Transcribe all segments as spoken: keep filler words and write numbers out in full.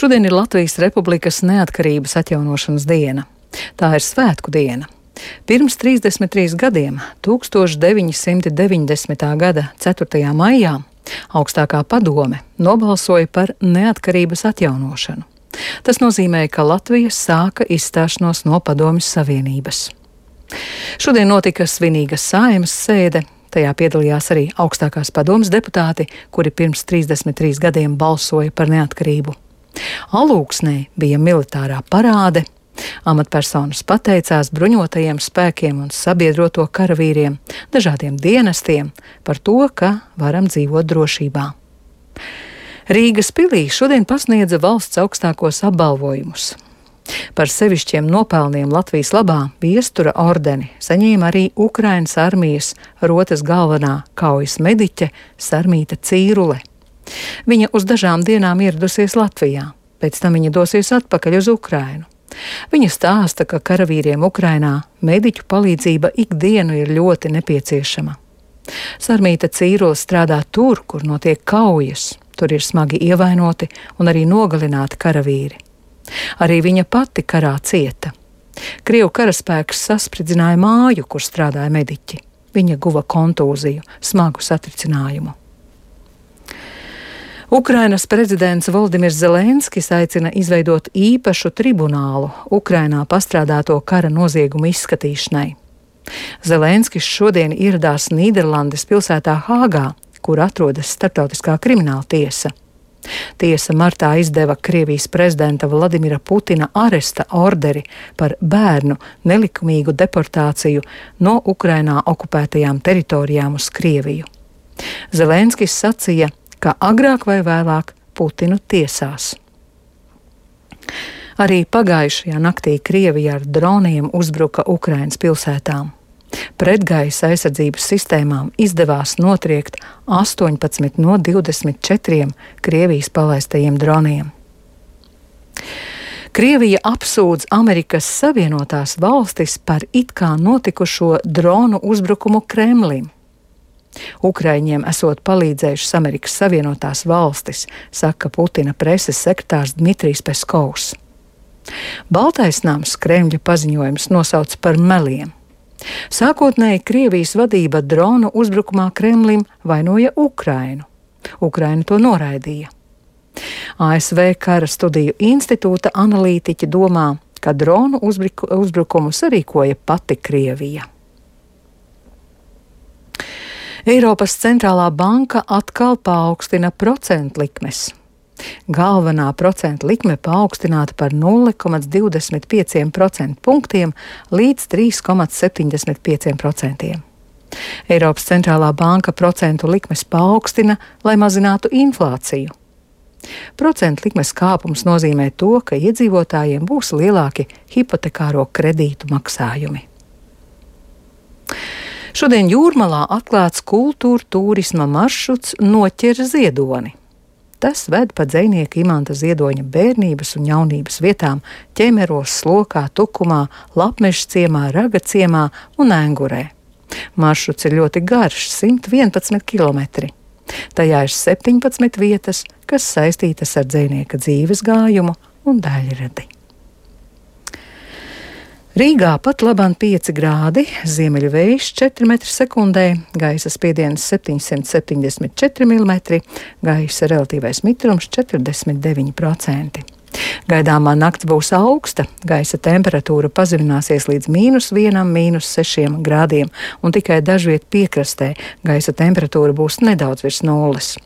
Šodien ir Latvijas Republikas neatkarības atjaunošanas diena. Tā ir svētku diena. Pirms trīsdesmit trīs gadiem, tūkstoš deviņi simti deviņdesmitā gada ceturtajā maijā, augstākā padome nobalsoja par neatkarības atjaunošanu. Tas nozīmē, ka Latvija sāka izstāšanos no Padomju Savienības. Šodien notika svinīga Saeimas sēde. Tajā piedalījās arī augstākās padomes deputāti, kuri pirms trīsdesmit trīs gadiem balsoja par neatkarību. Alūksnē bija militārā parāde. Amatpersonas pateicās bruņotajiem spēkiem un sabiedroto karavīriem, dažādiem dienestiem par to, ka varam dzīvot drošībā. Rīgas pilī šodien pasniedza valsts augstākos apbalvojumus. Par sevišķiem nopelniem Latvijas labā viestura ordeni saņēma arī Ukrainas armijas rotas galvenā kaujas mediķe Sarmīta Cīrule. Viņa uz dažām dienām ieradusies Latvijā, pēc tam viņa dosies atpakaļ uz Ukrainu. Viņa stāsta, ka karavīriem Ukrainā mediķu palīdzība ikdienu ir ļoti nepieciešama. Sarmīta Cīrule strādā tur, kur notiek kaujas, tur ir smagi ievainoti un arī nogalināti karavīri. Arī viņa pati karā cieta. Krievu karaspēks saspridzināja māju, kur strādāja mediķi. Viņa guva kontūziju, smagu satricinājumu. Ukrainas prezidents Voldimirs Zelenskis aicina izveidot īpašu tribunālu Ukrainā pastrādāto kara noziegumu izskatīšanai. Zelenskis šodien ieradās Nīderlandes pilsētā Hāgā, kur atrodas Starptautiskā krimināla tiesa. Tiesa martā izdeva Krievijas prezidenta Vladimira Putina aresta orderi par bērnu nelikumīgu deportāciju no Ukrainā okupētajām teritorijām uz Krieviju. Zelenskis sacīja, ka agrāk vai vēlāk Putinu tiesās. Arī pagājušajā naktī Krievija ar droniem uzbruka Ukrainas pilsētām. Pretgaisa aizsardzības sistēmām izdevās notriekt astoņpadsmit no divdesmit četriem Krievijas palaistajiem droniem. Krievija apsūdz Amerikas Savienotās valstis par it kā notikušo dronu uzbrukumu Kremlim. Ukraiņiem esot palīdzējušas Amerikas Savienotās valstis, saka Putina preses sekretārs Dmitrijs Peskovs. Baltais nams Kremļa paziņojums nosauc par meliem. Sākotnēji Krievijas vadība dronu uzbrukumā Kremlim vainoja Ukrainu. Ukraina to noraidīja. A S V Kara studiju institūta analītiķi domā, ka dronu uzbrukumu sarīkoja pati Krievija. Eiropas centrālā banka atkal paaugstina procentu likmes. Galvenā procentu likme paaugstināta par nulle komats divdesmit pieci procentu punktiem līdz trīs komats septiņdesmit pieci procenti. Eiropas centrālā banka procentu likmes paaugstina, lai mazinātu inflāciju. Procentu likmes kāpums nozīmē to, ka iedzīvotājiem būs lielāki hipotekāro kredītu maksājumi. Šodien Jūrmalā atklāts kultūra turisma maršruts Noķer Ziedoni. Tas ved pa dzejnieka Imanta Ziedoņa bērnības un jaunības vietām Ķemeros, Slokā, Tukumā, Lapmežas ciemā, Raga ciemā un Engurē. Maršruts ir ļoti garš – simt vienpadsmit kilometri. Tajā ir septiņpadsmit vietas, kas saistītas ar dzejnieka dzīves gājumu un daļradi. Rīgā pat labāk pieci grādi, ziemeļu vējš četri metri sekundē, gaisa spiediens septiņsimt septiņdesmit četri milimetri, gaisa relatīvais mitrums četrdesmit deviņi procenti. Gaidāmā nakts būs augsta, gaisa temperatūra pazemināsies līdz mīnus vienam, mīnus sešiem grādiem, un tikai dažviet piekrastē gaisa temperatūra būs nedaudz virs nulles.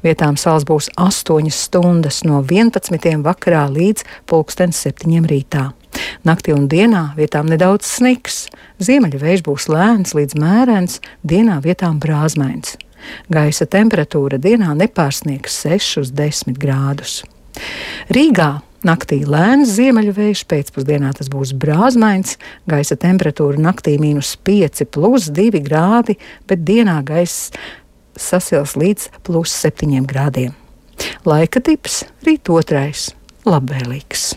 Vietām sals būs astoņas stundas no vienpadsmitiem vakarā līdz pulksten septiņiem rītā. Naktī un dienā vietām nedaudz sniks, ziemeļu vējš būs lēns līdz mērens, dienā vietām brāzmains. Gaisa temperatūra dienā nepārsniegs sešus desmit grādus. Rīgā naktī lēns ziemeļu vējš, pēcpusdienā tas būs brāzmains, gaisa temperatūra naktī mīnus pieci plus divi grādi, bet dienā gaiss sasils līdz plus septiņiem grādiem. Laika tips rīt otrais, labvēlīgs.